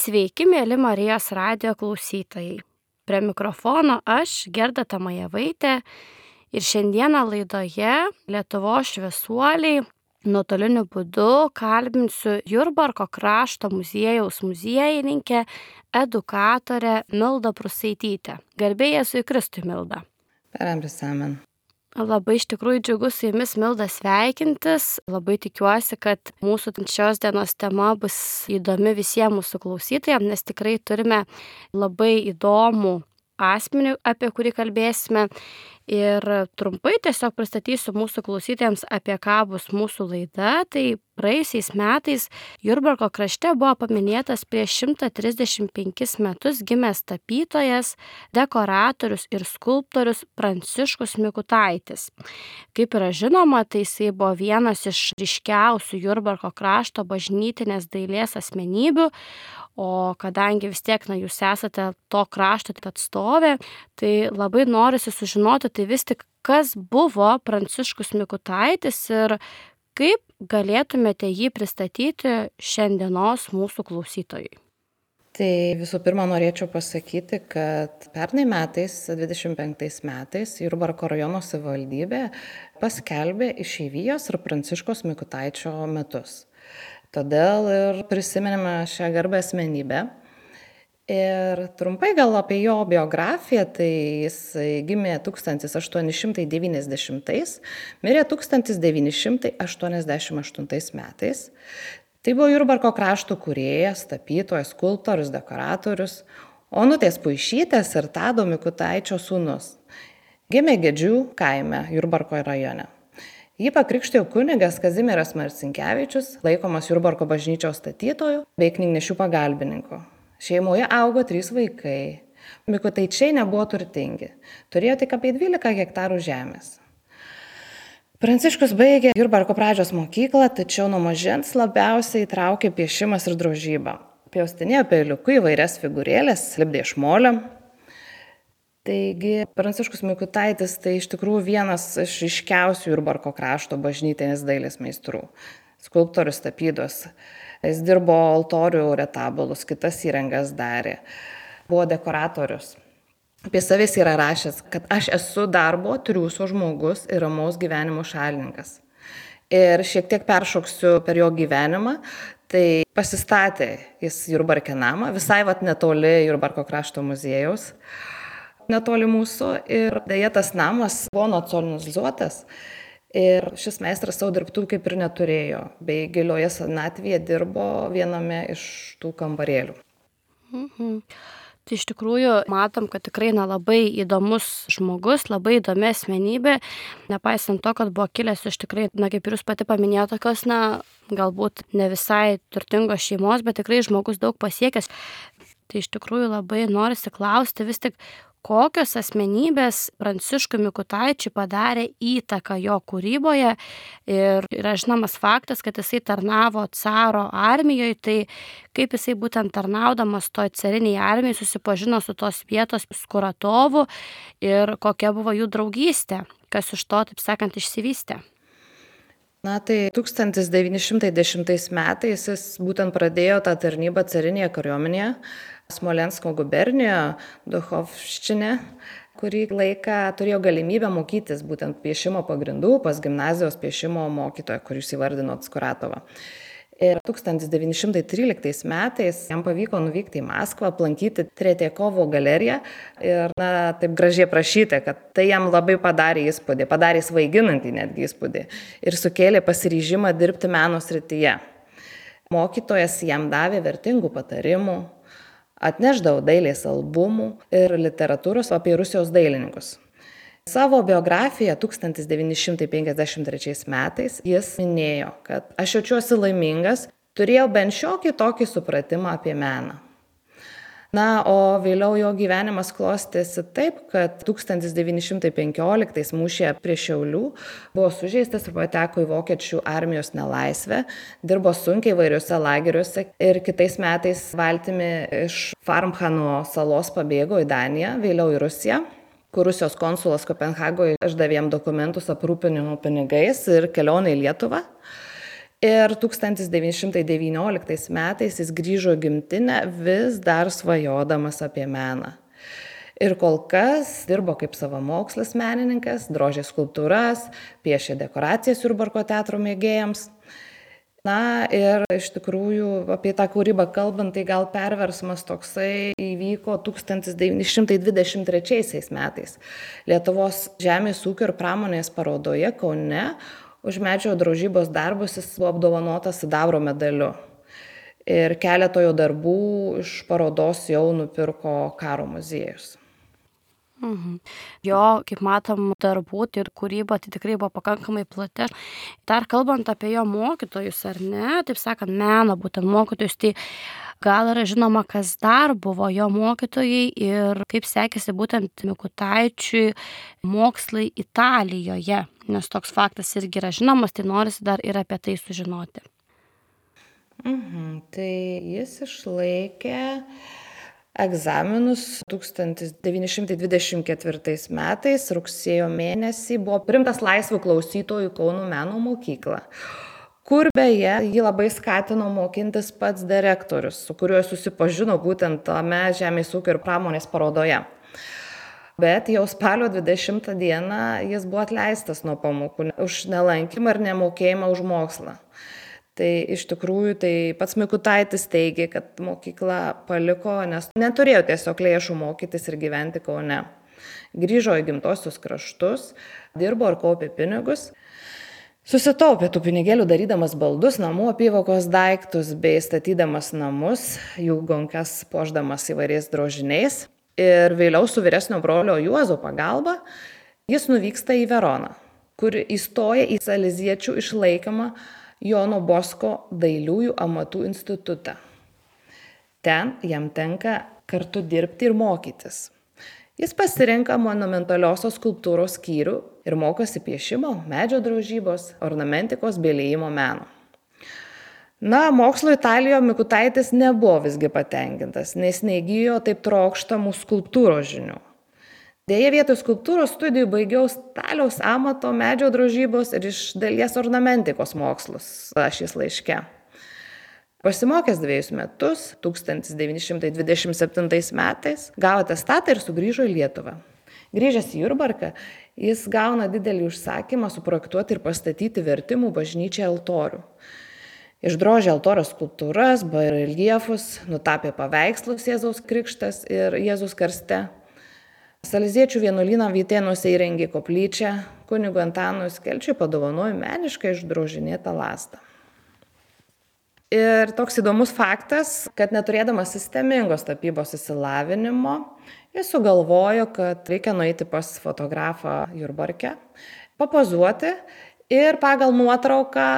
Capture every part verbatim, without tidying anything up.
Sveiki, mėly Marijos radijo klausytojai. Prie mikrofono aš, Gerda Tamajevaitė, ir šiandieną laidoje Lietuvos šviesuoliai nuotoliniu būdu kalbinsiu Jurbarko krašto muziejaus muziejininkę, edukatorę Mildą Prusaitytę. Garbė Jėzui Kristui, Milda. Per amžius amen. Labai iš tikrųjų džiugu su jumis, Milda, sveikintis. Labai tikiuosi, kad mūsų šios dienos tema bus įdomi visiems mūsų klausytojams, nes tikrai turime labai įdomų asmenį, apie kurį kalbėsime. Ir trumpai tiesiog pristatysiu mūsų klausytojams, apie ką bus mūsų laida. Tai praėjusiais metais Jurbarko krašte buvo paminėtas prieš šimtą trisdešimt penkis metus gimęs tapytojas, dekoratorius ir skulptorius Pranciškus Mikutaitis. Kaip yra žinoma, tai jisai buvo vienas iš ryškiausių Jurbarko krašto bažnytinės dailės asmenybių, o kadangi vis tiek na, jūs esate to krašto atstovė, tai labai norisi sužinoti, tai vis tik kas buvo Pranciškus Mikutaitis ir kaip galėtumėte jį pristatyti šiandienos mūsų klausytojai. Tai visų pirma norėčiau pasakyti, kad pernai metais, dvidešimt penktais metais, Jurbarko rajono savivaldybė paskelbė išeivijos ir Pranciškaus Mikutaičio metus. Todėl ir prisiminėme šią garbę asmenybę. Ir trumpai gal apie jo biografiją, tai jis gimė tūkstantis aštuoni šimtai devyniasdešimtais, mirė tūkstantis devyni šimtai aštuoniasdešimt aštuntais metais. Tai buvo Jurbarko krašto kūrėjas, tapytojas, skulptorius, dekoratorius, Onutės Puišytės ir Tado Mikutaičio sūnus. Gimė Gedžių kaime Jurbarko rajone. Jį pakrikštijo kunigas Kazimieras Marcinkevičius, laikomas Jurbarko bažnyčios statytojų bei knygnešių pagalbininku. Šeimoje augo trys vaikai. Mikutaičiai nebuvo turtingi. Turėjo tik apie dvylika hektarų žemės. Pranciškus baigė Jurbarko pradžios mokyklą, tačiau nuo mažens labiausiai įtraukė piešimas ir drožybą. Pjaustinėjo peiliuku įvairias figūrėlės, lipdė iš molio. Taigi, Pranciškus Mikutaitis tai iš tikrųjų vienas iš ryškiausių Jurbarko krašto bažnytinės dailės meistrų. Skulptorius, tapytos. Jis dirbo altorių retabulus, kitas įrangas darė. Buvo dekoratorius. Apie savęs yra rašęs, kad aš esu darbo, triūso žmogus ir ramaus gyvenimo šalininkas. Ir šiek tiek peršoksiu per jo gyvenimą, tai pasistatė jis Jurbarke namą, visai vat netoli Jurbarko krašto muziejaus. Netoli mūsų ir dėja tas namas buvo nacionalizuotas ir šis meistras savo dirbtuvų kaip ir neturėjo, bei gilioje senatvėje dirbo viename iš tų kambarėlių. Mhm. Tai iš tikrųjų matom, kad tikrai na, labai įdomus žmogus, labai įdomi asmenybė, nepaisant to, kad buvo kilęs iš tikrai, na kaip ir jūs pati paminėjote, tokios, na galbūt ne visai turtingos šeimos, bet tikrai žmogus daug pasiekęs. Tai iš tikrųjų labai norisi klausti vis tik, kokios asmenybės Pranciškui Mikutaičiui padarė įtaką jo kūryboje ir yra žinomas faktas, kad jisai tarnavo caro armijoje, tai kaip jisai būtent tarnaudamas toj cariniai armijai susipažino su tos vietos Skuratovu ir kokia buvo jų draugystė, kas iš to, taip sakant, išsivystė. Na tai tūkstantis devyni šimtai dešimtais metais jis būtent pradėjo tą tarnybą carinėje kariuomenėje, Smolensko gubernijoje, Duchovščine, kurį laiką turėjo galimybę mokytis būtent piešimo pagrindų pas gimnazijos piešimo mokytoją, kuris įvardino Skuratovą. Ir tūkstantis devyni šimtai tryliktais metais jam pavyko nuvykti į Maskvą, aplankyti Tretjakovo galeriją ir na, taip gražiai prašyti, kad tai jam labai padarė įspūdį, padarė svaiginantį netgi įspūdį ir sukėlė pasiryžimą dirbti meno srityje. Mokytojas jam davė vertingų patarimų, atnešdavo dailės albumų ir literatūros apie Rusijos dailininkus. Savo biografiją tūkstantis devyni šimtai penkiasdešimt trečiais metais jis minėjo, kad aš jaučiuosi laimingas, turėjau bent šiokį tokį supratimą apie meną. Na, o vėliau jo gyvenimas klostėsi taip, kad tūkstantis devyni šimtai penkioliktais mūšyje prie Šiaulių buvo sužeistas ir pateko į vokiečių armijos nelaisvę, dirbo sunkiai įvairiuose lageriuose ir kitais metais valtimi iš Farmhano salos pabėgo į Daniją, vėliau į Rusiją, kur Rusijos konsulas Kopenhagoje išdavė jam dokumentus aprūpinimo pinigais ir kelionę į Lietuvą. Ir tūkstantis devyni šimtai devynioliktais metais jis grįžo į gimtinę vis dar svajodamas apie meną. Ir kol kas dirbo kaip savamokslis menininkas, drožė skulptūras, piešė dekoracijas Jurbarko teatro mėgėjams. Na ir iš tikrųjų apie tą kūrybą kalbant, tai gal perversmas toksai įvyko tūkstantis devyni šimtai dvidešimt trečiaisiais metais. Lietuvos žemės ūkio ir pramonės parodoje Kaune už medžio drožybos darbus jis buvo apdovanotas sidabro medaliu. Ir keletą jo darbų iš parodos jau nupirko Karo muziejus. Mhm. Jo, kaip matom, darbų ir kūryba tai tikrai buvo pakankamai plati. Dar kalbant apie jo mokytojus, ar ne, taip sakant, meno būtent mokytojus, tai gal yra žinoma, kas dar buvo jo mokytojai ir kaip sekėsi būtent Mikutaičiui mokslai Italijoje, nes toks faktas irgi yra žinomas, tai norisi dar ir apie tai sužinoti. Mhm. Tai jis išlaikė egzaminus tūkstantis devyni šimtai dvidešimt ketvirtais metais, rugsėjo mėnesį, buvo priimtas laisvų klausytojų Kauno meno mokyklą, kur beje jį labai skatino mokintis pats direktorius, su kuriuo susipažino būtent tame žemės ūkio ir pramonės parodoje. Bet jau spalio dvidešimtą dieną jis buvo atleistas nuo pamokų už nelankymą ir nemokėjimą už mokslą. Tai iš tikrųjų tai pats Mikutaitis teigė, kad mokyklą paliko, nes neturėjo tiesiog lėšų mokytis ir gyventi Kaune. Grįžo į gimtosius kraštus, dirbo ir kaupė pinigus. Susitaupė tų pinigėlių darydamas baldus, namų apyvokos daiktus bei statydamas namus, jų gonkas puošdamas įvairiais drožiniais. Ir vėliau su vyresnio brolio Juozo pagalba jis nuvyksta į Veroną, kur įstoja į saleziečių išlaikomą Jono Bosko dailiųjų amatų institutą. Ten jam tenka kartu dirbti ir mokytis. Jis pasirenka monumentaliosios skulptūros skyrių ir mokosi piešimo, medžio drožybos, ornamentikos bei liejimo meno. Na, mokslo Italijoje Mikutaitis nebuvo visgi patenkintas, nes neįgijo taip trokštamų skulptūros žinių. Deja, vietoj skulptūros studijų baigiau staliaus amato, medžio drožybos ir iš dalies ornamentikos mokslus, rašys laiške. Pasimokęs dviejus metus, tūkstantis devyni šimtai dvidešimt septintais metais, gavo atestatą ir sugrįžo į Lietuvą. Grįžęs į Jurbarką, jis gauna didelį užsakymą suprojektuoti ir pastatyti vertimų bažnyčiai altorių. Išdrožė altorių skulptūras, bareljefus, nutapė paveikslus Jėzaus Krikštas ir Jėzus karste. Saleziečių vienuolyną Vytėnuose įrengė koplyčią, kunigui Antanui Skelčiui padovanojo meniškai išdrožinėtą lazdą. Ir toks įdomus faktas, kad neturėdamas sistemingos tapybos išsilavinimo, jis sugalvojo, kad reikia nueiti pas fotografą Jurbarke, papozuoti ir pagal nuotrauką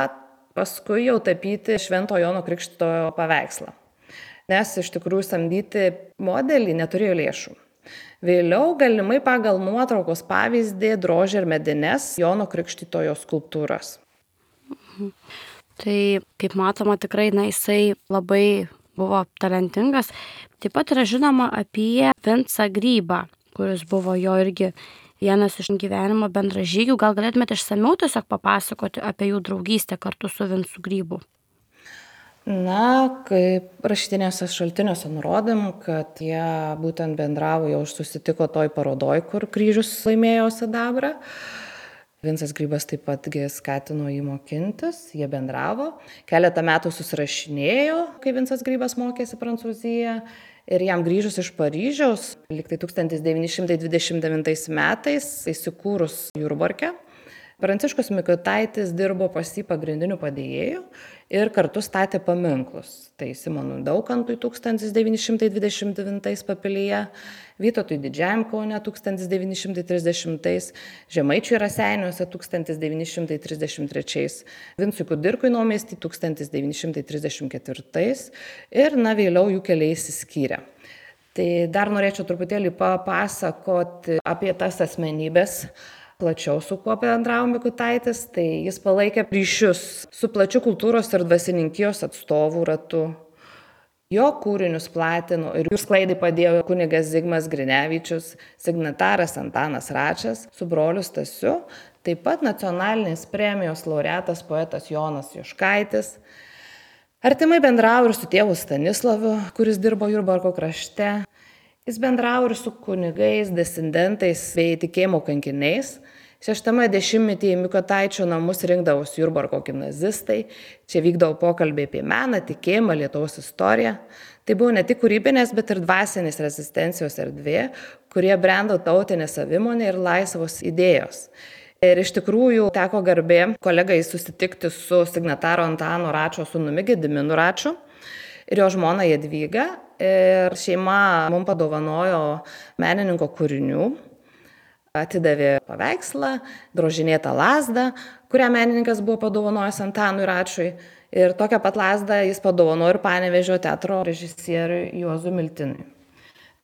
paskui jau tapyti Švento Jono Krikštytojo paveikslą. Nes iš tikrųjų samdyti modelį neturėjo lėšų. Vėliau galimai pagal nuotraukos pavyzdį drožė ir medines Jono Krikštytojo skulptūras. Mhm. Tai, kaip matoma, tikrai na, jisai labai buvo talentingas. Taip pat yra žinoma apie Vincą Grybą, kuris buvo jo irgi vienas iš gyvenimo bendražygių. Gal galėtumėte išsamiau tiesiog papasakoti apie jų draugystę kartu su Vincu Grybu? Na, kaip rašytiniuose šaltiniuose nurodėm, kad jie būtent bendravo, jau susitiko toj parodoj, kur kryžius laimėjo sidabrą. Vincas Grybas taip pat skatino jį mokintis, jie bendravo. Keletą metų susirašinėjo, kai Vincas Grybas mokėsi Prancūziją. Ir jam grįžus iš Paryžiaus, liktai tūkstantis devyni šimtai dvidešimt devintais metais, įsikūrus Jurbarke, Pranciškus Mikutaitis dirbo pas jį pagrindiniu padėjėju ir kartu statė paminklus. Tai Simonui Daukantui tūkstantis devyni šimtai dvidešimt devintais Papilyje, Vytautui Didžiajam Kaune tūkstantis devyni šimtai trisdešimtais, Žemaičiui Raseiniuose tūkstantis devyni šimtai trisdešimt trečiais, Vincui Kudirkui Naumiesty tūkstantis devyni šimtai trisdešimt ketvirtais ir na vėliau jų keliai išsiskyrė. Tai dar norėčiau truputėlį papasakoti apie tas asmenybės, plačiau su kuo bendravo Mikutaitis, tai jis palaikė ryšius su plačiu kultūros ir dvasininkijos atstovų ratu. Jo kūrinius platino ir jų sklaidai padėjo kunigas Zigmas Grinevičius, signataras Antanas Račas su broliu Stasiu, Taip pat nacionalinės premijos laureatas poetas Jonas Juškaitis. Artimai bendravo ir su tėvu Stanisławu, kuris dirbo Jurbarko krašte. Jis bendravo ir su kunigais, disidentais bei tikėjimo kankiniais. Šeštame dešimtmetyje Mikutaičio namus rinkdavosi Jurbarko gimnazistai. Čia vykdavo pokalbiai apie meną, tikėjimą, Lietuvos istoriją. Tai buvo ne tik kūrybinės, bet ir dvasinės rezistencijos erdvė, kurie brendo tautinė savimonė ir laisvos idėjos. Ir iš tikrųjų teko garbė kolegai susitikti su signataro Antano Račo sūnumi Gediminu Račiu ir jo žmona Jadvyga. Ir šeima mums padovanojo menininko kūrinių, atidavė paveikslą, drožinėtą lazdą, kurią menininkas buvo padovanojęs Antanui Račiui. Ir tokią pat lazdą jis padovanojo ir Panevėžio teatro režisieriui Juozui Miltinui.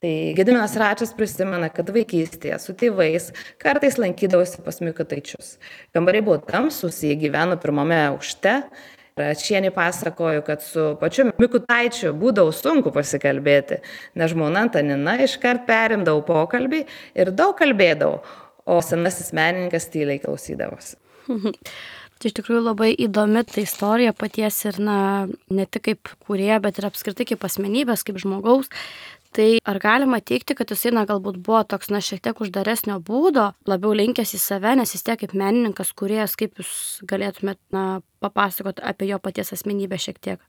Tai Gediminas Račius prisimena, kad vaikystėje su tėvais kartais lankydavosi pas Mikutaičius. Kambariai buvo tamsūs, jie gyveno pirmame aukšte. Račienė pasakojo, kad su pačiu Mikutaičiu būdavo sunku pasikalbėti, nes žmona Antanina iškart perimdavo pokalbį ir daug kalbėdavo, o senasis menininkas tyliai klausydavosi. Tai iš tikrųjų labai įdomi ta istorija paties ir na, ne tik kaip kūrėja, bet ir apskritai kaip asmenybės, kaip žmogaus. Tai ar galima teikti, kad jisai na, galbūt buvo toks na, šiek tiek uždaresnio būdo, labiau linkęs į save, nes jis tiek kaip menininkas, kūrėjas, kaip jūs galėtumėt na, papasakoti apie jo paties asmenybę šiek tiek?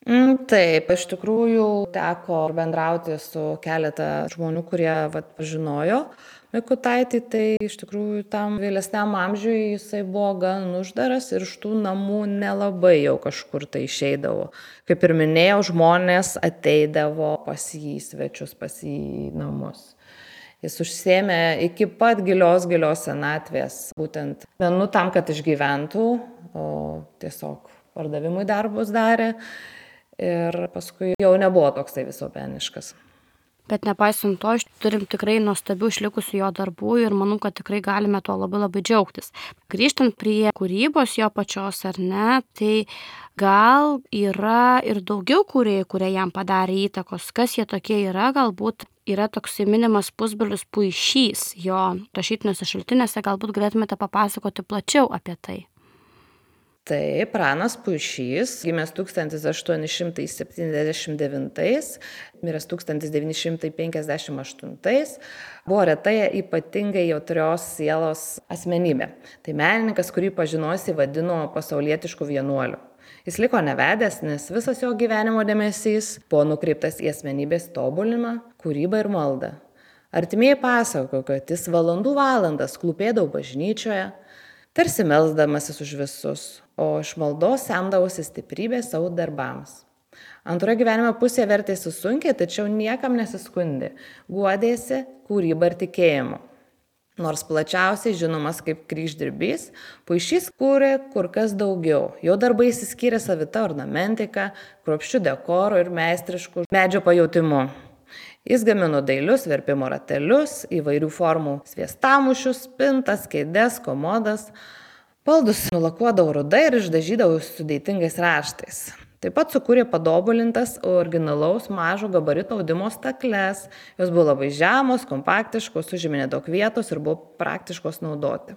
Mm, taip, iš tikrųjų teko bendrauti su keletą žmonių, kurie vat, pažinojo Mikutaitį, tai iš tikrųjų tam vėlesniam amžiui jisai buvo gan uždaras ir iš tų namų nelabai jau kažkur tai išeidavo. Kaip ir minėjau, žmonės ateidavo pas jį svečius, pas jį į namus. Jis užsiėmė iki pat gilios, gilios senatvės, būtent menu tam, kad išgyventų, o tiesiog pardavimui darbus darė ir paskui jau nebuvo toksai visuomeniškas. Bet nepaisant to, turim tikrai nuostabių išlikusių jo darbų ir manau, kad tikrai galime tuo labai labai džiaugtis. Grįžtant prie kūrybos jo pačios ar ne, tai gal yra ir daugiau kūrėjų, kurie jam padarė įtakos. Kas jie tokie yra, galbūt yra toks minimas Pusbrolis Puišys jo rašytiniuose šaltiniuose, galbūt galėtumėte papasakoti plačiau apie tai. Tai Pranas Puišys, gimęs tūkstantis aštuoni šimtai septyniasdešimt devintais, miręs tūkstantis devyni šimtai penkiasdešimt aštuntais, buvo retai ypatingai jautrios sielos asmenybė. Tai menininkas, kurį pažinojusi vadino pasaulietišku vienuoliu. Jis liko nevedęs, nes visas jo gyvenimo dėmesys buvo nukreiptas į asmenybės tobulinimą, kūrybą ir maldą. Artimieji pasakojo, kad jis valandų valandas klūpėdavo bažnyčioje, tarsi melsdamasis už visus, o iš maldos semdavosi stiprybės savo darbams. Antroje gyvenimo pusėje vertėsi sunkiai, tačiau niekam nesiskundė, guodėsi kūryba ir tikėjimu. Nors plačiausiai žinomas kaip kryždirbys, Puišys kūrė kur kas daugiau. Jo darbai išsiskyrė savita ornamentika, kruopščiu dekoru ir meistrišku medžio pajautimu. Jis gamino dailius verpimo ratelius, įvairių formų sviestamušius, spintas, kėdes, komodas. Baldus nulakuodavo rudai ir išdažydavo sudėtingais raštais. Taip pat sukūrė padobulintas originalaus mažo gabarito audimo stakles. Jos buvo labai žemos, kompaktiškos, užėmė nedaug vietos ir buvo praktiškos naudoti.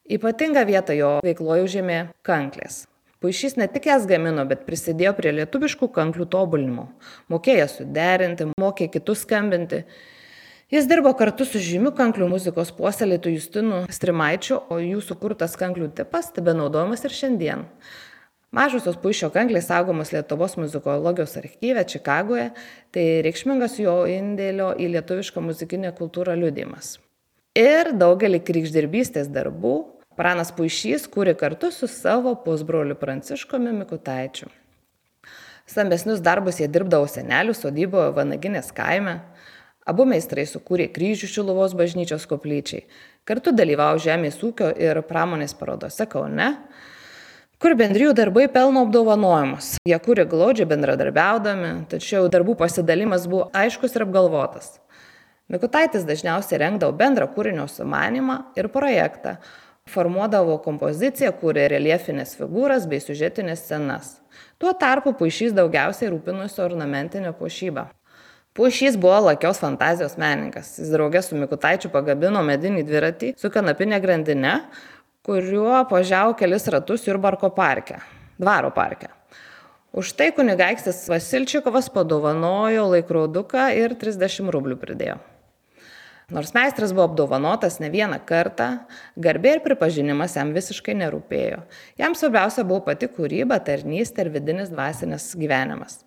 Ypatingą vietą jo veikloje užėmė kanklės. Puišys ne tik jas gamino, bet prisidėjo prie lietuviškų kanklių tobulinimo. Mokėjo suderinti, mokė kitus skambinti. Jis dirbo kartu su žymiu kanklių muzikos puoselėtu Justinu Strimaičiu, o jų sukurtas kanklių tipas tebenaudojamas ir šiandien. Mažosios Puišio kanklės saugomos Lietuvos muzikologijos archyve Čikagoje, tai reikšmingas jo indėlio į lietuvišką muzikinę kultūrą liudijimas. Ir daugelį krikšdirbystės darbų Pranas Puišys kūrė kartu su savo pusbroliu Pranciškumi Mikutaičiu. Stambesnius darbus jie dirbdavo senelių sodyboje Vanaginės kaime. Abu meistrai sukūrė kryžių Šiluvos bažnyčios koplyčiai. Kartu dalyvavo žemės ūkio ir pramonės parodose Kaune, kur bendrijų darbai pelno apdovanojimus. Jie kūrė glaudžiai bendradarbiaudami, tačiau darbų pasidalimas buvo aiškus ir apgalvotas. Mikutaitis dažniausiai rengdavo bendrą kūrinio sumanymą ir projektą, formuodavo kompoziciją, kūrė reljefinės figūras bei siužetinės scenas. Tuo tarpu Puišys daugiausiai rūpinosi ornamentinę puošybą. Puišys buvo lakios fantazijos menininkas. Jis draugė su Mikutaičiu pagabino medinį dviratį su kanapinė grandine, kuriuo važiavo kelis ratus Jurbarko parke, dvaro parke. Už tai kunigaikštis Vasilčikovas padovanojo laikroduką ir trisdešimt rublių pridėjo. Nors meistras buvo apdovanotas ne vieną kartą, garbė ir pripažinimas jam visiškai nerūpėjo. Jam svarbiausia buvo pati kūryba, tarnystė ir vidinis dvasinis gyvenimas.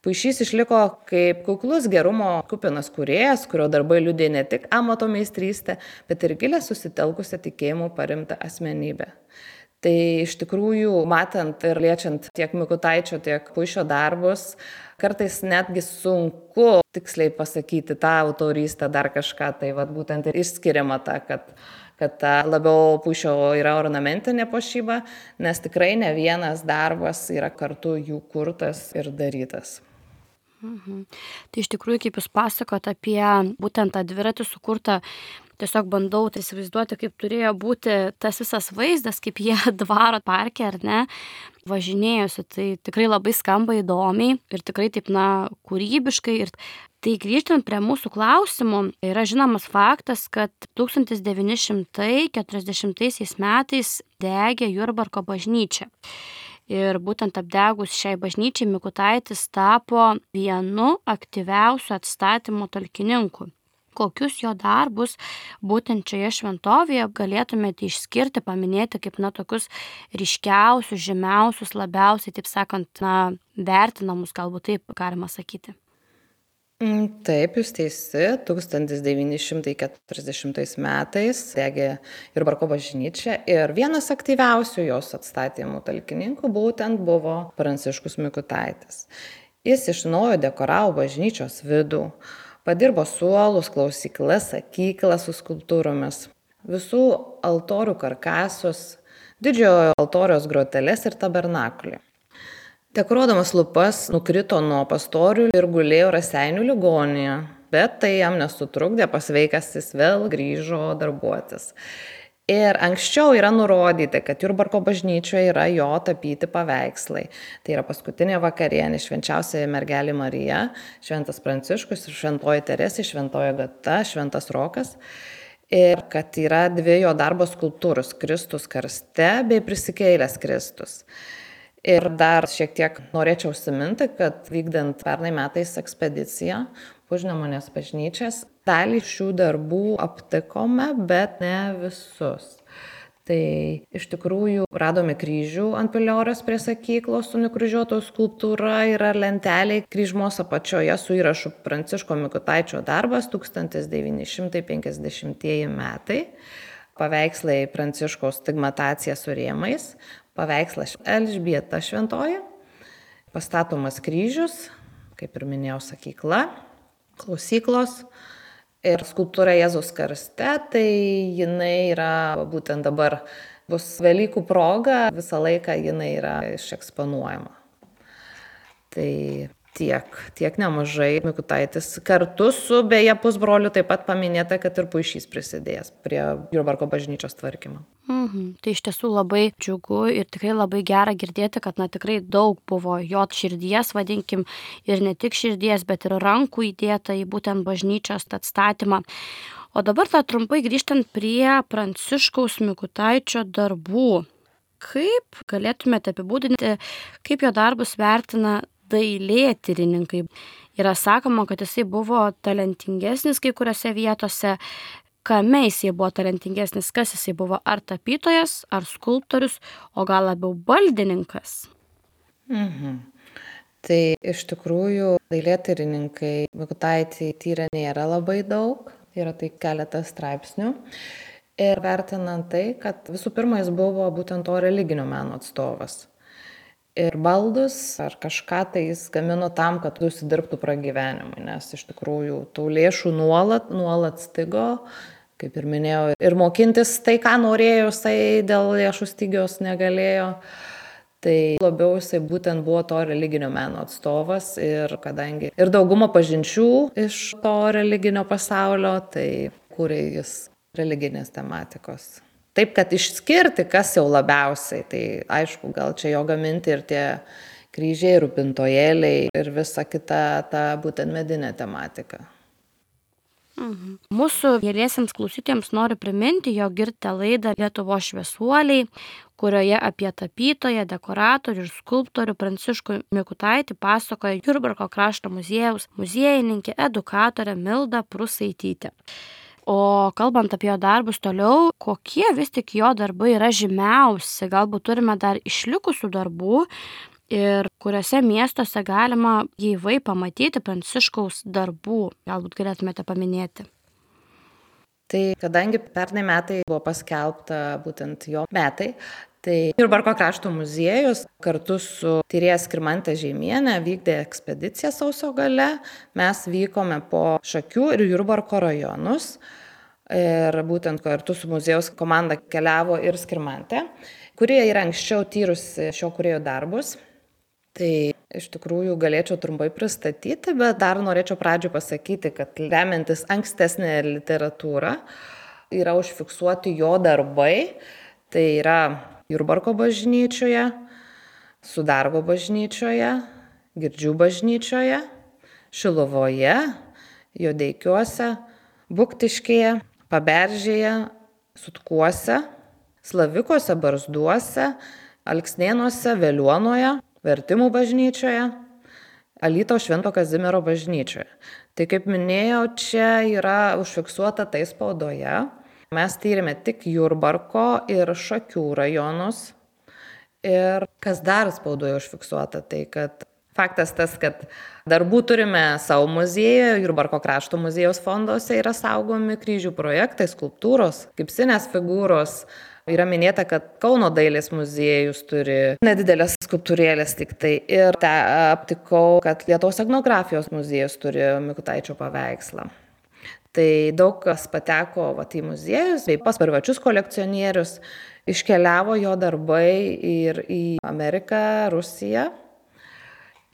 Puišys išliko kaip kuklus gerumo kupinas kūrėjas, kurio darbai liudė ne tik amato meistrystę, bet ir gilę susitelkusią tikėjimų parimtą asmenybę. Tai iš tikrųjų, matant ir liečiant tiek Mikutaičio, tiek Puišio darbus, kartais netgi sunku tiksliai pasakyti tą autorystę, dar kažką, tai vat, būtent ir išskiriama ta, kad, kad ta labiau Puišio yra ornamentinė puošyba, nes tikrai ne vienas darbas yra kartu jų kurtas ir darytas. Mhm. Tai iš tikrųjų, kaip jūs pasakot apie būtent tą dviratį sukurtą, tiesiog bandau tai įsivaizduoti, kaip turėjo būti tas visas vaizdas, kaip jie dvaro parke, ar ne, važinėjosi. Tai tikrai labai skamba įdomiai ir tikrai taip, na, kūrybiškai. Ir tai grįžtant prie mūsų klausimų, yra žinomas faktas, kad tūkstantis devyni šimtai keturiasdešimtaisiais metais degė Jurbarko bažnyčia. Ir būtent apdegus šiai bažnyčiai Mikutaitis tapo vienu aktyviausių atstatymo talkininkų. Kokius jo darbus būtent šioje šventovėje galėtumėte išskirti, paminėti kaip, na, tokius ryškiausius, žymiausius, labiausiai, taip sakant, na, vertinamus, galbūt taip galima sakyti. Taip, jūs teisi, tūkstantis devyni šimtai keturiasdešimtais metais degė Jurbarko bažnyčia ir vienas aktyviausių jos atstatymų talkininkų būtent buvo Pranciškus Mikutaitis. Jis iš naujo dekoravo bažnyčios vidų, padirbo suolus, klausyklas, sakyklas su skulptūromis, visų altorių karkasus, didžiojo altoriaus groteles ir tabernakulį. Dekoruodamas lupas nukrito nuo pastorių ir gulėjo Raseinių ligoninėje, bet tai jam nesutrukdė, pasveikęs jis vėl grįžo darbuotis. Ir anksčiau yra nurodyti, kad Jurbarko bažnyčioje yra jo tapyti paveikslai. Tai yra paskutinė vakarienė, švenčiausia mergelė Marija, šventas Pranciškus ir šventoji Teresė, šventoji Agata, šventas Rokas. Ir kad yra dvi jo darbo skulptūros, Kristus karste bei prisikėlęs Kristus. Ir dar šiek tiek norėčiau užsiminti, kad vykdant pernai metais ekspediciją po Užnemunės bažnyčias, dalį šių darbų aptikome, bet ne visus. Tai iš tikrųjų radome kryžių ant piliorės prie sakyklos su nukryžiuotos skulptūra, yra lentelė kryžmos apačioje su įrašu Pranciško Mikutaičio darbas tūkstantis devyni šimtai penkiasdešimtieji metai, paveikslai Pranciškaus stigmatacija su rėmais, paveikslas Elžbieta šventoji, pastatomas kryžius, kaip ir minėjau, sakykla, klausyklos ir skulptūra Jėzaus karste, tai jinai yra būtent dabar bus Velykų proga, visą laiką jinai yra išeksponuojama. Tai tiek, tiek nemažai Mikutaitis kartu su beje pusbroliu taip pat paminėta, kad ir Puišys prisidėjęs prie Jurbarko bažnyčios tvarkymo. Mhm. Tai iš tiesų labai džiugu ir tikrai labai gera girdėti, kad na, tikrai daug buvo jo širdies, vadinkim, ir ne tik širdies, bet ir rankų įdėta į būtent bažnyčios atstatymą. O dabar tą trumpai grįžtant prie Pranciškaus Mikutaičio darbų. Kaip galėtumėte apibūdinti, kaip jo darbus vertina dailėtyrininkai? Yra sakoma, kad jisai buvo talentingesnis kai kuriuose vietose. Kame jisai buvo talentingesnis, kas jisai buvo, ar tapytojas, ar skulptorius, o gal labiau baldininkas? Mhm. Tai iš tikrųjų dailėtyrininkai Mikutaitį tyrė nėra labai daug, yra tai keletas straipsnių. Ir vertinant tai, kad visų pirma jis buvo būtent to religinio meno atstovas. Ir baldus ar kažką tai jis gamino tam, kad užsidirbtų pragyvenimui, nes iš tikrųjų tų lėšų nuolat, nuolat stigo, kaip ir minėjau, ir mokintis tai, ką norėjo, jisai dėl lėšų stygios negalėjo. Tai labiau jisai būtent buvo to religinio meno atstovas ir kadangi ir dauguma pažinčių iš to religinio pasaulio, tai kūrė jis religinės tematikos. Taip, kad išskirti, kas jau labiausiai, tai aišku, gal čia jo gaminti ir tie kryžiai, rūpintojėliai ir visa kita ta būtent medinė tematika. Mhm. Mūsų geriesiems klausytėms noriu priminti, jog girdite laidą Lietuvos šviesuoliai, kurioje apie tapytoją, dekoratorių ir skulptorių Pranciškų Mikutaitį pasakoja Jurbarko krašto muziejaus muziejininkė, edukatorė Milda Prusaitytė. O kalbant apie jo darbus toliau, kokie vis tik jo darbai yra žymiausi, galbūt turime dar išlikusių darbų ir kuriuose miestuose galima gyvai pamatyti Pranciškaus darbų, galbūt galėtumėte paminėti. Tai kadangi pernai metai buvo paskelbta būtent jo metai, tai Jurbarko krašto muziejus kartu su tyrėja Skirmante Žeimiene vykdė ekspediciją sausio gale. Mes vykome po Šakių ir Jurbarko rajonus ir būtent kartu su muziejaus komanda keliavo ir Skirmante, kurie yra anksčiau tyrusi šio kūrėjo darbus. Tai iš tikrųjų galėčiau trumpai pristatyti, bet dar norėčiau pradžioje pasakyti, kad remiantis ankstesnė literatūra yra užfiksuoti jo darbai. Tai yra Jurbarko bažnyčioje, Sudargo bažnyčioje, Girdžių bažnyčioje, Šiluvoje, Jodeikiuose, Buktiškėje, Paberžėje, Sutkuose, Slavikuose, Barzduose, Alksnėnuose, Veliuonoje, Vertimų bažnyčioje, Alytaus Švento Kazimiero bažnyčioje. Tai kaip minėjau, čia yra užfiksuota tai spaudoje. Mes tyrėme tik Jurbarko ir Šakių rajonus. Ir kas dar spaudoje užfiksuota, tai kad faktas tas, kad darbų turime savo muziejuje, Jurbarko krašto muziejaus fonduose yra saugomi kryžių projektai, skulptūros, gipsinės figūros. Yra minėta, kad Kauno dailės muziejus turi nedidelės skulptūrėlės tik tai. Ir te aptikau, kad Lietuvos etnografijos muziejus turi Mikutaičio paveikslą. Tai daug kas pateko vat, į muziejus, bei pas privačius kolekcionierius. Iškeliavo jo darbai ir į Ameriką, Rusiją.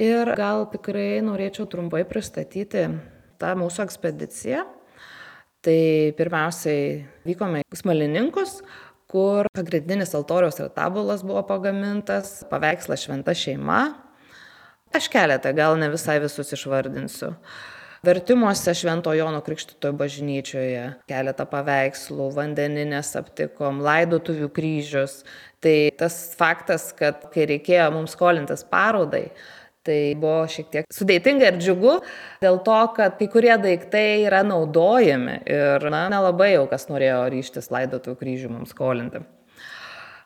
Ir gal tikrai norėčiau trumpai pristatyti tą mūsų ekspediciją. Tai pirmiausiai vykome į Smalininkus, kur pagrindinis altoriaus retabulas buvo pagamintas, paveikslas Šventa šeima. Aš keletą, gal ne visai visus išvardinsiu. Vertimuose Švento Jono Krikštytojo bažnyčioje keletą paveikslų, vandeninės aptikom, laidotuvių kryžius. Tai tas faktas, kad kai reikėjo mums skolintis parodai, tai buvo šiek tiek sudėtinga ir džiugu, dėl to, kad kai kurie daiktai yra naudojami ir na, nelabai jau kas norėjo ryžtis laidotuvių kryžių mums skolinti.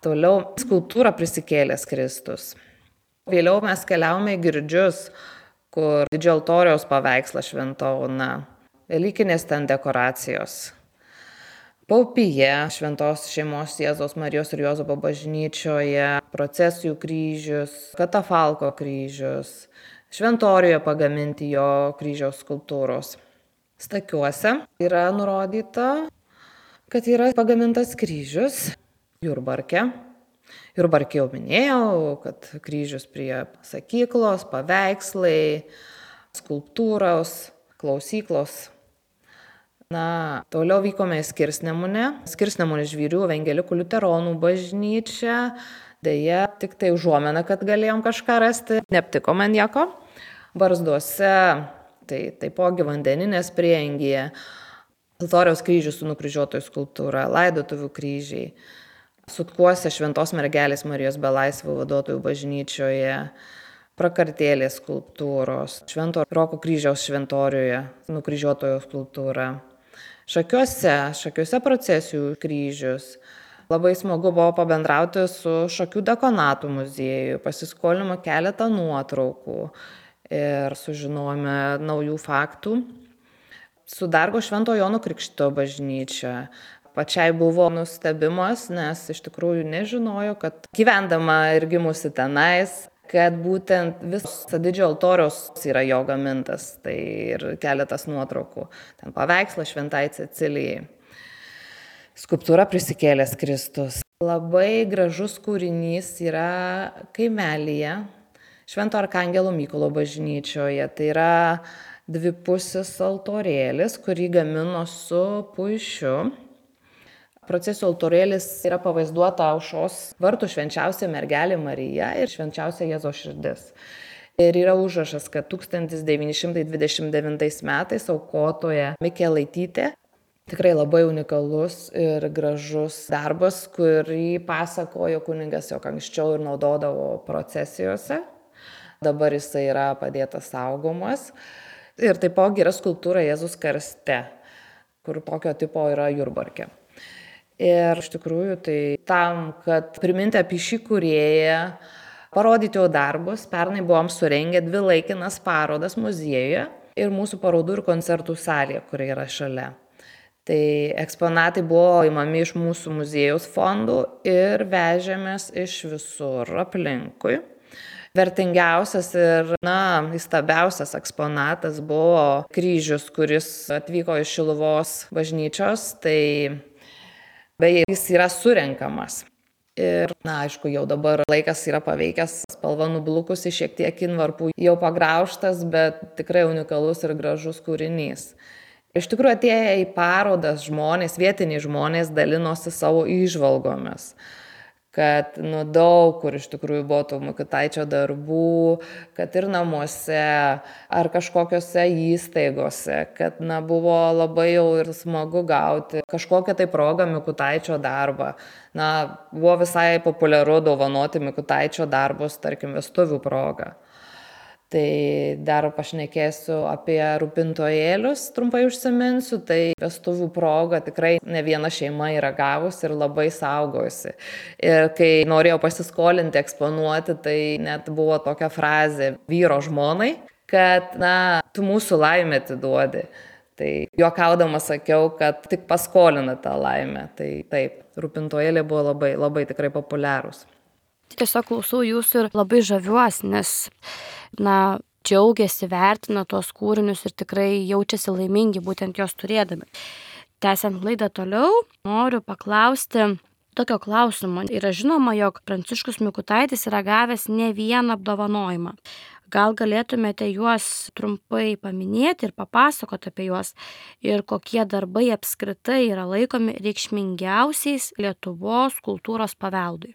Toliau skulptūra Prisikėlęs Kristus. Vėliau mes keliavome į Girdžius, kur didžiojo altoriaus paveikslas Šventa Ona, velykinės ten dekoracijos. Paupyje Šventos šeimos Jėzaus Marijos ir Juozapo bažnyčioje, procesijų kryžius, katafalko kryžius, Šventorijoje pagaminti jo kryžiaus skulptūros. Stakiuose yra nurodyta, kad yra pagamintas kryžius Jurbarke. Jurbarke jau minėjau, kad kryžius prie sakyklos, paveikslai, skulptūros, klausyklos. Na, toliau vykome į Skirsnemunę. Skirsnemunės Žvyrių evangelikų liuteronų bažnyčią. Deja, tik tai užuomena, kad galėjom kažką rasti. Neaptikome nieko. Barzduose, tai taipogi vandeninės prieangyje. Altoriaus kryžius su nukryžiuotojų skulptūra, laidotuvių kryžiai. Sutkuose Šventos mergelės Marijos belaisvių vaduotojų bažnyčioje. Prakartėlės skulptūros. Švento Roko kryžiaus šventorijoje nukryžiuotojo skulptūra. Šakiuose, Šakiuose procesijų kryžius. Labai smagu buvo pabendrauti su Šakių dekonatų muzieju, pasiskolinome keletą nuotraukų ir sužinojome naujų faktų. Sudargo Švento Jono Krikštytojo bažnyčia. Pačiai buvo nustebimas, nes iš tikrųjų nežinojo, kad gyvendama ir gimusi tenais, kad būtent visas didžiojo altoriaus yra jo gamintas, tai ir keletas nuotraukų. Ten paveikslas Šventai Cecilijai. Skulptūra Prisikėlęs Kristus. Labai gražus kūrinys yra kaimelyje Švento Arkangelo Mykolo bažnyčioje. Tai yra dvipusis altorėlis, kurį gamino su puišiu. procesijų altorėlis yra pavaizduota aušros vartų švenčiausia mergelė Marija ir švenčiausia Jėzaus širdis. Ir yra užrašas, kad tūkstantis devyni šimtai dvidešimt devintais metais aukotoja Mikelaitytė, tikrai labai unikalus ir gražus darbas, kurį pasakojo kunigas, jog anksčiau ir naudodavo procesijose. Dabar jisai yra padėtas saugomas. Ir taipogi yra skulptūra Jėzus karste, kur tokio tipo yra Jurbarke. Ir iš tikrųjų tai tam, kad priminti apie šį kūrėją, parodyti jo darbus, pernai buvom surengę dvi laikinas parodas muziejuje ir mūsų parodų ir koncertų salėje, kuri yra šalia. Tai eksponatai buvo įmami iš mūsų muziejaus fondų ir vežėmės iš visur aplinkui. Vertingiausias ir, na, įstabiausias eksponatas buvo kryžius, kuris atvyko iš Šiluvos bažnyčios, tai beje, jis yra surenkamas. Ir, na, aišku, jau dabar laikas yra paveikęs, spalva nublukusi, šiek tiek invarpų jau pagraužtas, bet tikrai unikalus ir gražus kūrinys. Iš tikrųjų, atėję į parodas žmonės, vietiniai žmonės dalinosi savo įžvalgomis, kad nu, daug kur iš tikrųjų buvo tų Mikutaičio darbų, kad ir namuose ar kažkokiose įstaigose, kad na, buvo labai jau ir smagu gauti kažkokią tai progą Mikutaičio darbą. Na, buvo visai populiaru dovanoti Mikutaičio darbus, tarkim, vestuvių progą. Tai dar pašnekėsiu apie rūpintojėlius, trumpai užsiminsiu, tai vestuvių proga tikrai ne viena šeima yra gavusi ir labai saugojusi. Ir kai norėjau pasiskolinti, eksponuoti, tai net buvo tokia frazė vyro žmonai, kad, na, tu mūsų laimę atiduodi. Tai juokaudama sakiau, kad tik paskolina tą laimę. Tai taip, rūpintojėliai buvo labai, labai tikrai populiarūs. Tiesiog klausau jūsų ir labai žaviuosi, nes, na, džiaugiasi, vertina tuos kūrinius ir tikrai jaučiasi laimingi būtent jos turėdami. Tęsiant laidą toliau, noriu paklausti tokio klausimo. Yra žinoma, jog Pranciškus Mikutaitis yra gavęs ne vieną apdovanojimą. Gal galėtumėte juos trumpai paminėti ir papasakoti apie juos ir kokie darbai apskritai yra laikomi reikšmingiausiais Lietuvos kultūros paveldui?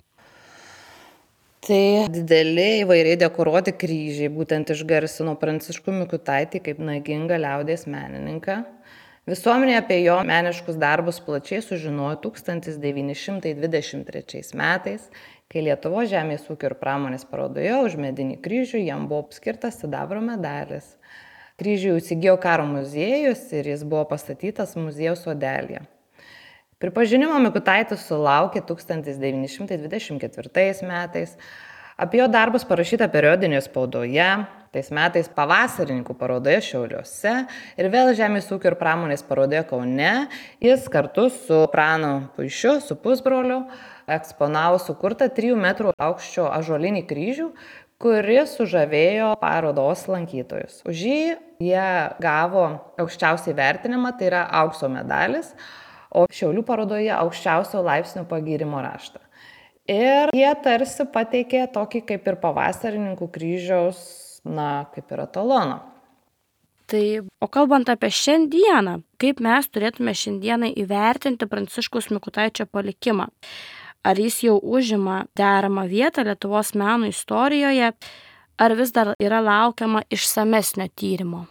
Tai dideli įvairiai dekoruoti kryžiai būtent išgarsino Pranciškų Mikutaitį kaip nagingą liaudies menininką. Visuomenė apie jo meniškus darbus plačiai sužinojo tūkstantis devyni šimtai dvidešimt trečiais metais, kai Lietuvos žemės ūkio ir pramonės parodoje už medinį kryžių jam buvo skirtas sidabro medalis. Kryžių įsigijo karo muziejus ir jis buvo pastatytas muziejaus sodelyje. Pripažinimo Mikutaitis sulaukė tūkstantis devyni šimtai dvidešimt ketvirtais metais. Apie jo darbus parašyta periodinėje spaudoje, tais metais pavasarininkų parodoje Šiauliuose ir vėl žemės ūkio ir pramonės parodoje Kaune. Jis kartu su Pranu Puišiu, su pusbroliu, eksponavo sukurtą trijų metrų aukščio ąžuolinį kryžių, kuris sužavėjo parodos lankytojus. Už jį jie gavo aukščiausiai vertinimą, tai yra aukso medalis, o Šiaulių parodoje aukščiausio laipsnio pagyrimo raštą. Ir jie tarsi pateikė tokį kaip ir pavasarininkų kryžiaus, na, kaip ir etaloną. Tai, o kalbant apie šiandieną, kaip mes turėtume šiandieną įvertinti Pranciškaus Mikutaičio palikimą? Ar jis jau užima deramą vietą Lietuvos meno istorijoje, ar vis dar yra laukiama išsamesnio tyrimo?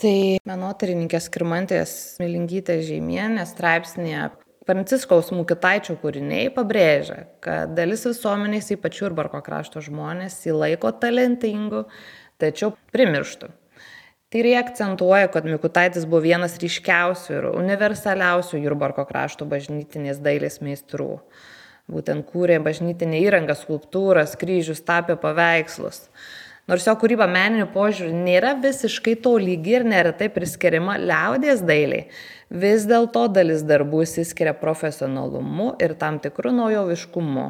Tai menotyrininkės Skirmantės Smilingytės Žeimienės straipsnėje Pranciškaus Mikutaičio kūriniai pabrėžia, kad dalis visuomenės, ypač Jurbarko krašto žmonės, jį laiko talentingu, tačiau primirštų. Tyriai akcentuoja, kad Mikutaitis buvo vienas ryškiausių ir universaliausių Jurbarko krašto bažnytinės dailės meistrų. Būtent kūrė bažnytinę įrangą, skulptūras, kryžius, tapė paveikslus. Nors jo kūryba meniniu požiūriu nėra visiškai tolygi ir neretai priskiriama liaudies dailiai, vis dėlto dalis darbų išsiskiria profesionalumu ir tam tikru naujoviškumu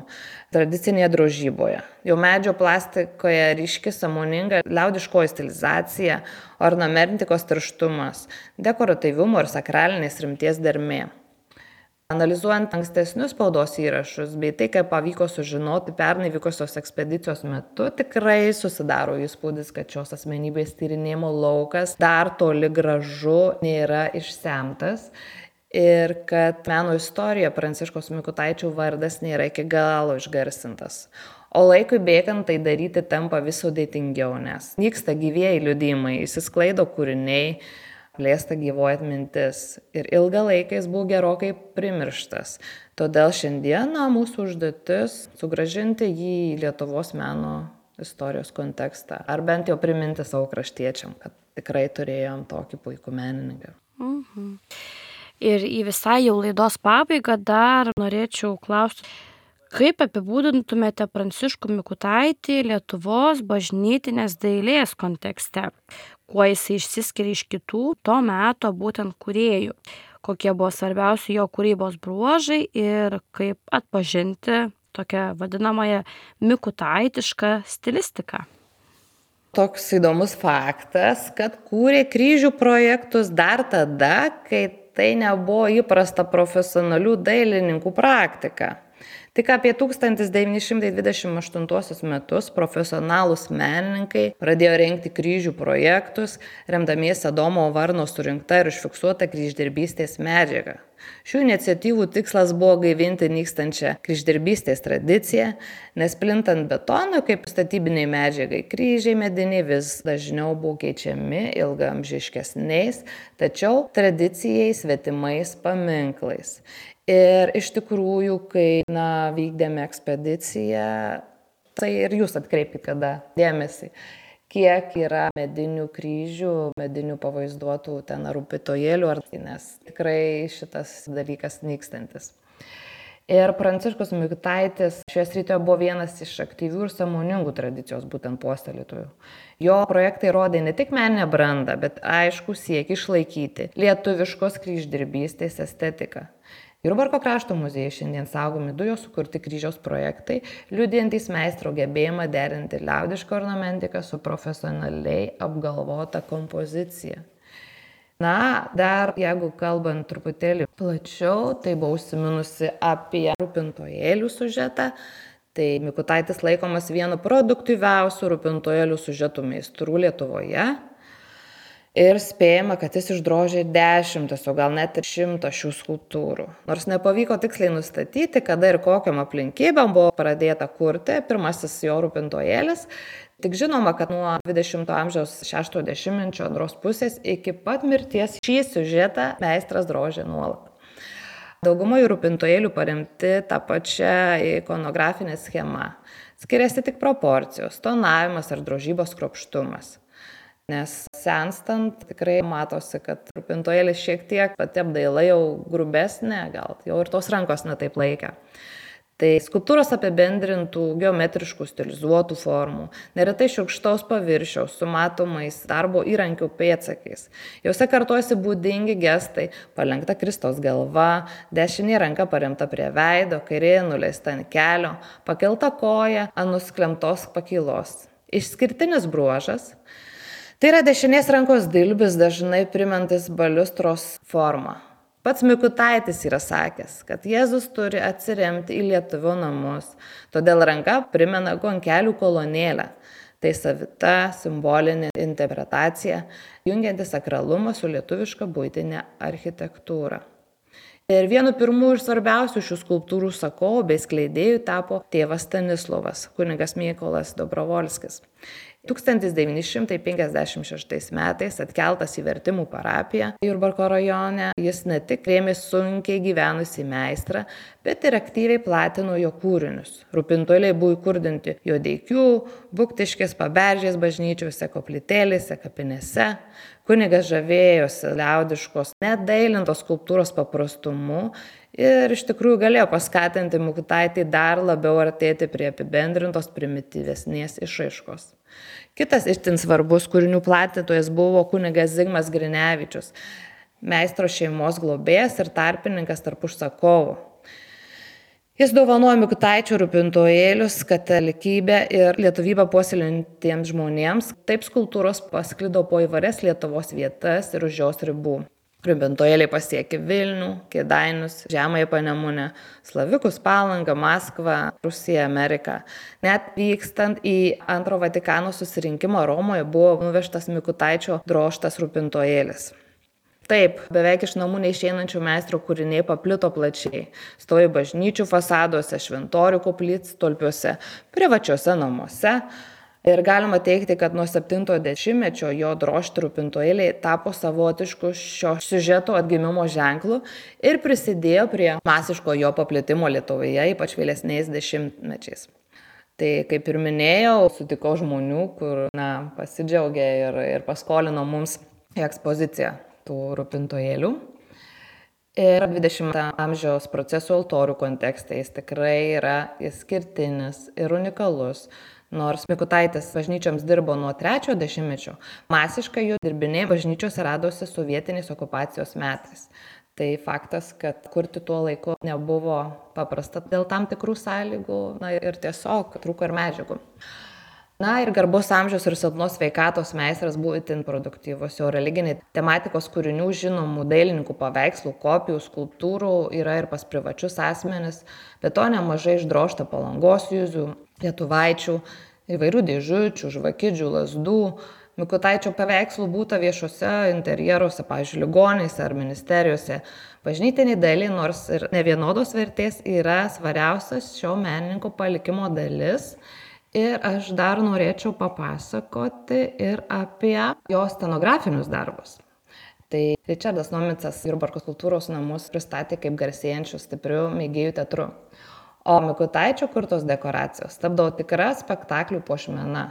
tradicinėje drožyboje. Jau medžio plastikoje ryški sąmoninga liaudiškoji stilizacija, ornamentikos tirštumas, dekoratyvumo ir sakralinės rimties dermė. Analizuojant ankstesnius spaudos įrašus, bei tai, kaip pavyko sužinoti pernai vykusios ekspedicijos metu, tikrai susidaro įspūdis, kad šios asmenybės tyrinėjimo laukas dar toli gražu nėra išsemtas ir kad meno istorija Pranciškaus Mikutaičio vardas nėra iki galo išgarsintas. O laikui bėgant tai daryti tampa vis sudėtingiau, nes nyksta gyvieji liudijimai, išsisklaido kūriniai, plėsta gyvoji atmintis ir ilgą laiką jis buvo gerokai primirštas. Todėl šiandieną mūsų užduotis sugrąžinti jį į Lietuvos meno istorijos kontekstą, ar bent jau priminti savo kraštiečiam, kad tikrai turėjom tokį puikų menininką. Mhm. Ir į visai jau laidos pabaigą dar norėčiau klausti, kaip apibūdintumėte Pranciškų Mikutaitį Lietuvos bažnytinės dailės kontekste? Kuo jisai išsiskiria iš kitų to meto būtent kūrėjų? Kokie buvo svarbiausi jo kūrybos bruožai ir kaip atpažinti tokią vadinamąją mikutaitišką stilistiką? Toks įdomus faktas, kad kūrė kryžių projektus dar tada, kai tai nebuvo įprasta profesionalių dailininkų praktika. Tik apie tūkstantis devyni šimtai dvidešimt aštuntuosius metus profesionalūs menininkai pradėjo rengti kryžių projektus, remdamiesi Adomo Varno surinkta ir užfiksuota kryždirbystės medžiaga. Šių iniciatyvų tikslas buvo gaivinti nykstančią kryždirbystės tradiciją, nes plintant betonui kaip statybiniai medžiagai, kryžiai mediniai vis dažniau buvo keičiami ilgaamžiškesniais, tačiau tradicijai svetimais paminklais. Ir iš tikrųjų, kai na, vykdėme ekspediciją, tai ir jūs atkreipkite kada dėmesį, kiek yra medinių kryžių, medinių pavaizduotų ten rūpytojėlių, nes tikrai šitas dalykas nykstantis. Ir Pranciškus Mikutaitis šioje srityje buvo vienas iš aktyvių ir sąmoningų tradicijos būtent puoselėtojų. Jo projektai rodė ne tik meninę brandą, bet aišku siekį išlaikyti lietuviškos kryždirbystės estetiką. Jurbarko krašto muziejuje šiandien saugomi du jo sukurti kryžiaus projektai, liudijantys meistro gebėjimą derinti liaudišką ornamentiką su profesionaliai apgalvota kompozicija. Na, dar jeigu kalbant truputėlį plačiau, tai buvau užsiminusi apie rūpintojėlių siužetą. Tai Mikutaitis laikomas vienu produktyviausių rūpintojėlių siužetų meistrų Lietuvoje. Ir spėjama, kad jis išdrožė dešimtis, o gal net ir šimtą šių skulptūrų. Nors nepavyko tiksliai nustatyti, kada ir kokiam aplinkybėm buvo pradėta kurti pirmasis jo rūpintojėlis, tik žinoma, kad nuo dvidešimto amžiaus šeštojo dešimtmečio antros pusės iki pat mirties šį siužetą meistras drožė nuolat. Dauguma jų rūpintojėlių paremti tą pačią ikonografinę schemą. Skiriasi tik proporcijos, tonavimas ar drožybos kruopštumas. Nes senstant tikrai matosi, kad rūpintojėlis šiek tiek pati apdaila jau grubesnė, gal jau ir tos rankos netaip laikė. Tai skulptūros apibendrintų geometriškų stilizuotų formų, neretai šiurkštaus paviršiaus su matomais darbo įrankių pėdsakais. Jose kartuosi būdingi gestai, palenkta Kristaus galva, dešinė ranka paremta prie veido, kairė nuleista ant kelio, pakelta koja ant nusklemtos pakylos. Išskirtinis bruožas – tai yra dešinės rankos dilbis, dažnai primentis baliustros formą. Pats Mikutaitis yra sakęs, kad Jėzus turi atsiremti į lietuvio namus, todėl ranka primena gonkelių kolonėlę. Tai savita simbolinė interpretacija, jungianti sakralumą su lietuviška buitinė architektūra. Ir vienu pirmųjų ir svarbiausių šių skulptūrų sakovų bei skleidėjų tapo tėvas Stanislovas, kunigas Mykolas Dobrovolskis. tūkstantis devyni šimtai penkiasdešimt šeštais metais atkeltas į Vertimų parapiją Jurbarko rajone, jis ne tik rėmė sunkiai gyvenusį meistrą, bet ir aktyviai platino jo kūrinius. Rūpintojėliai buvo įkurdinti Jodeikių, Buktiškės, Paberžės bažnyčiose, koplytėlėse, kapinėse. Kunigas žavėjosi liaudiškos, net dailintos skulptūros paprastumu ir iš tikrųjų galėjo paskatinti Mikutaitį dar labiau artėti prie apibendrintos primityvesnės išraiškos. Kitas itin svarbus kūrinių platintojas buvo kunigas Zigmas Grinevičius, meistro šeimos globėjas ir tarpininkas tarp užsakovų. Jis dovanojo Mikutaičio rūpintojėlius katalikybę ir lietuvybę puoselėjantiems žmonėms. Taip skulptūros pasklido po įvairias Lietuvos vietas ir už jos ribų. Rūpintojėliai pasiekė Vilnių, Kėdainius, Žemąją Panemunę, Slavikus, Palangą, Maskvą, Rusiją, Ameriką. Net vykstant į antro Vatikano susirinkimą Romoje buvo nuvežtas Mikutaičio drožtas rūpintojėlis. Taip, beveik iš namų neišeinančių meistro kūriniai paplito plačiai. Stovi bažnyčių fasaduose, šventorių koplytstulpiuose, privačiuose namuose. Ir galima teigti, kad nuo septintojo dešimtmečio jo drožti rūpintojėliai tapo savotišku šio siužeto atgimimo ženklu ir prisidėjo prie masiško jo paplitimo Lietuvoje, ypač vėlesniais dešimtmečiais. Tai kaip ir minėjau, sutikau žmonių, kur na, pasidžiaugė ir, ir paskolino mums ekspoziciją tų rūpintojėlių. Ir dvidešimto amžiaus procesų altorių kontekste jis tikrai yra išskirtinis ir unikalus. Nors Mikutaitis bažnyčioms dirbo nuo trečiojo dešimtmečio, masiškai jų dirbiniai bažnyčiose radosi sovietiniais okupacijos metais. Tai faktas, kad kurti tuo laiku nebuvo paprasta dėl tam tikrų sąlygų, na ir tiesiog trūko ir medžiagų. Na ir garbus amžiaus ir silpnos sveikatos meistras buvo itin produktyvus. Jo religiniai tematikos kūrinių žinomų dailininkų paveikslų, kopijų, skulptūrų yra ir pas privačius asmenis, bet to nemažai išdrožta Palangos jūzių, lietuvaičių, įvairių dėžučių, žvakidžių, lazdų. Mikutaičio paveikslų būta viešuose interjeruose, pavyzdžiui, ligoninėse ar ministerijose. Bažnytiniai dailiai, nors ir nevienodos vertės, yra svariausias šio menininko palikimo dalis. Ir aš dar norėčiau papasakoti ir apie jo scenografinius darbus. Tai Ričardas Nomicas Jurbarko kultūros namus pristatė kaip garsėjančių stiprių mėgėjų teatru. O Mikutaičio kurtos dekoracijos tapdavo tikra spektaklių puošmena.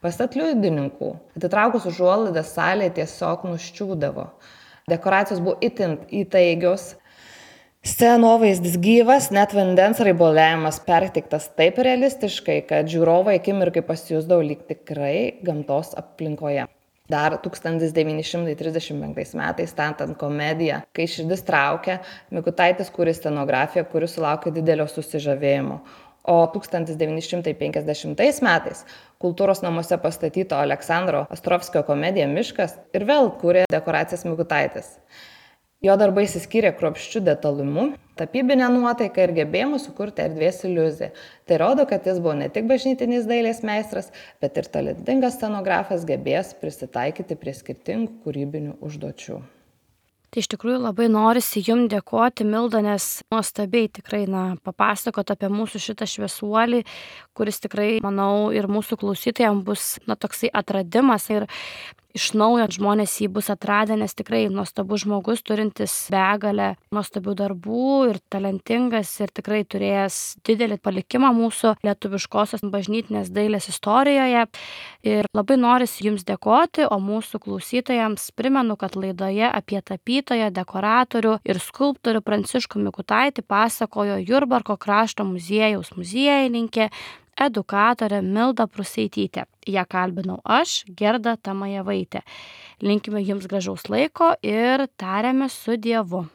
Pasak liudininkų, atitraukus užuolaidą salėje tiesiog nuščiūdavo. Dekoracijos buvo itin įtaigios. Scenovaizdis gyvas, net vandens raibuliavimas perteiktas taip realistiškai, kad žiūrovai akimirkai pasijusdavo lyg tikrai gamtos aplinkoje. Dar tūkstantis devyni šimtai trisdešimt penktais metais, statant komediją Kai širdis traukia, Mikutaitis kūrė scenografiją, kuri sulaukė didelio susižavėjimo. O tūkstantis devyni šimtai penkiasdešimtais metais kultūros namuose pastatyto Aleksandro Ostrovskio komedija Miškas ir vėl kūrė dekoracijas Mikutaitis. Jo darbai išsiskyrė kruopščiu detalumu, tapybinė nuotaika ir gebėjimu sukurti erdvės iliuziją. Tai rodo, kad jis buvo ne tik bažnytinis dailės meistras, bet ir talentingas scenografas, gebėjęs prisitaikyti prie skirtingų kūrybinių užduočių. Tai iš tikrųjų labai norisi jums dėkoti, Milda, nes nuostabiai tikrai na, papasakot apie mūsų šitą šviesuolį, kuris tikrai, manau, ir mūsų klausytojams bus na, toksai atradimas ir iš naujo žmonės jį bus atradę, nes tikrai nuostabus žmogus, turintis begalę nuostabių darbų ir talentingas ir tikrai turėjęs didelį palikimą mūsų lietuviškosios bažnytinės dailės istorijoje. Ir labai norisi jums dėkoti, o mūsų klausytojams primenu, kad laidoje apie tapytoją, dekoratorių ir skulptorių Pranciškų Mikutaitį pasakojo Jurbarko krašto muziejaus muziejininkė, edukatorė Milda Pruseitytė. Ją kalbinau aš, Gerda Tamajevaitė. Linkime jums gražaus laiko ir tariame su Dievu.